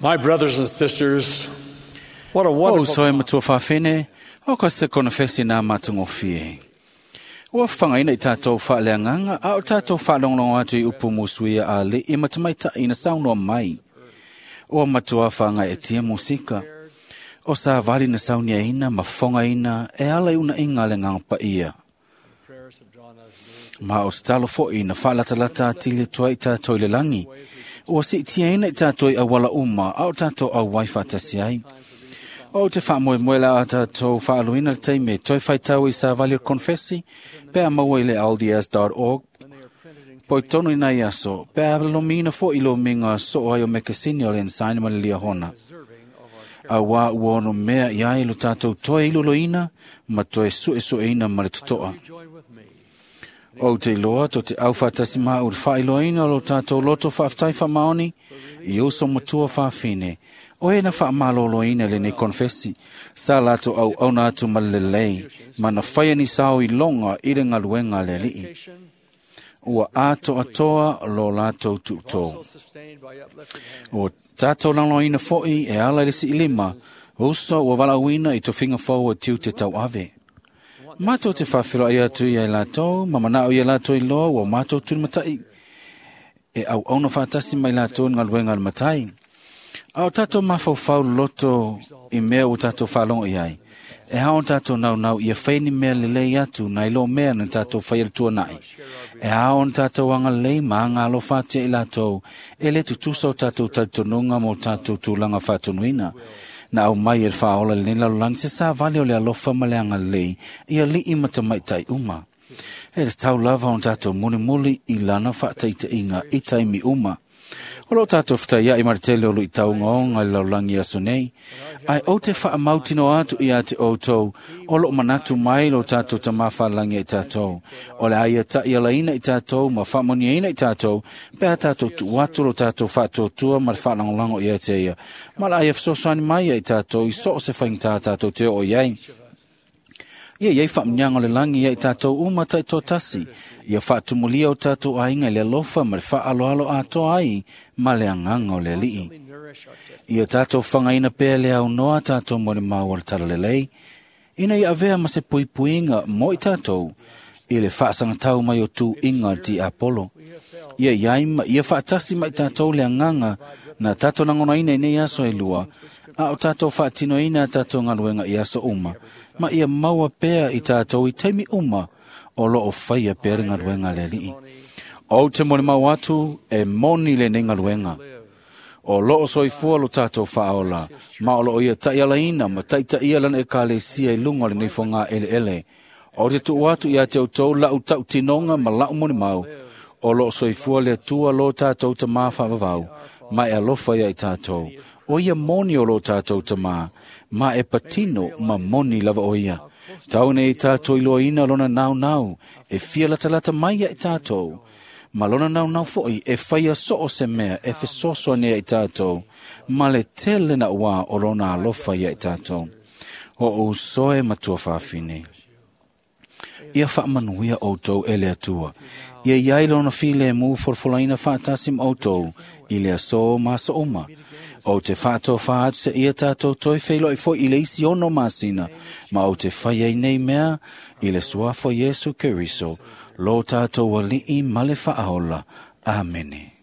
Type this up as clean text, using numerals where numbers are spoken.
My brothers and sisters, what a O wonderful uso e matua whawhene, o ka se konofesi nā matungofie. Ua whangaina i tātou whaaleanganga, a o tātou whaalonglongo atu i upu musuia a le i matamaita ina saunoa mai. Ua matua whanga e tia musika. O sa vali na saunia ina, ma whonga ina, e ala i una inga le nganga pa ia. prayers have drawn us near. Ma o talo foi na whaalatalata tile tua i tātou i le langi. Ua si tia ina i tātou i awala uma, a o tātou au wai whaatasi ai. O te whaamoe moe la a tātou whaaluina le teime, toi whaitau i sa vali o konfesi, pea maua i le lds.org, When they are printed in poi tonu i nai aso, pea lomina fo i lo minga so ai o mekasini o le ensaina ma le liahona. deserving of our A wā ua ono mea i ai lo tātou toi iluloina, ma toi sue sueina ma le totoa. You join with me O te iloa, to te au whaatasi maa ur whailoina lo tātou loto whaaftai whamaoni, i uso matua whawhine. O e na whaamaloloina le nei konfesi, sa lato au auna atu ma le lei, ma na whaia ni sao i longa i le ngaluenga le lii. Dedication, Ua ato atoa lo latou tuto. also sustained by uplifted hands. O tātou langloina foi e ala i le siilima, uso ua walauina i tofinga fau o tiu te tau ave. Mātou te whawhiro ai atu i ai lātou, ma manao i ai lātou i loa, ua mātou tūmatai. E au auna whātasi mai lātou ngā luenga le matai. A o tātou mawhauwhau loto i mea o tātou whalongo i ai. E hao tātou nau nau ia whaini mea le lei atu nai lo mea na tātou whai tua nai. E hao tātou anga lei ma anga alo whātia i lātou e le tutusa o tātou tautonunga mo tātou tūlanga whātonuina. Na au mai e whaola le nila lolangi se sa vale o le alofa ma le anga lei i a lii matamaitai uma. E le tau lava o tātou muli muli i lana whaataita inga i taimi uma. O lo tātou whitai ia i maritele o lui taunga o ngai laulangi aso nei. Ai o te whaamautino atu i a te outou, o lo manatu mai lo tātou tamawhalangi i tātou. O le aia tai alaina i tātou, ma whaamoniaina i tātou, pea tātou tuatu lo tātou whaatuatua ma le whaalangolango i a te ia. Ma la aia whasosani mai ia i tātou, i so o se whaingtā tātou te o iai. Ia iai whaamnyanga o le langi ia i tātou uma tai tō tasi. Ia whaatumulia o tātou ainga i le alofa ma le whaaloalo atoa ai ma le anganga o le alii. Constantly nourish our tip. Ia tātou whangaina pēr le au noa tātou mo le maua le talalelei. Ina ia avea ma se puipuinga mo i tātou i le whaasangatau mai o tū inga ti Apollo. Ia iai ma, ia whaatasi mai tātou le anganga na tātou nangona ina i nei aso e lua, a o tātou whaatino ina tātou ngaluenga i aso uma, ma ia maua pēr i tātou i teimi uma o lo o whaia pēr ngaluenga le alii. O te mone mau atu e moni le nei ngaluenga. O loo soifua lo tātou whaola, ma o loo ia tai ina ma tai ia lana e kalesia i lunga o le neifo ngā ele ele. O te tuu atu ia te outou lau tau tinonga ma lau moni mau, o loo soifua le atua lo tātou ta mā whaavavau, ma e alofa ia i tātou. O ia moni o lo tātou ta mā, ma e patino ma moni lava o ia. Tau nei tātou i loa ina lona nau nau, e fia latalata mai ia i tātou. Ma lona nau nau foi e whaia so o se mea e fesoso nea i tātou, ma le tele na ua o lona alofa ia i tātou. O o soe matua whawhine. Ia whaamanuia outou e le atua. Ia iai lona file mu forfolaina whaatasi ma outou i le aso ma aso uma. O te whaato whaatu se ia tātou toi wheilo i foi i le isi ono masina, ma o te whai ai nei mea i le suafo Yesu Keriso, lo tātou alii ma le whaaola. Amene.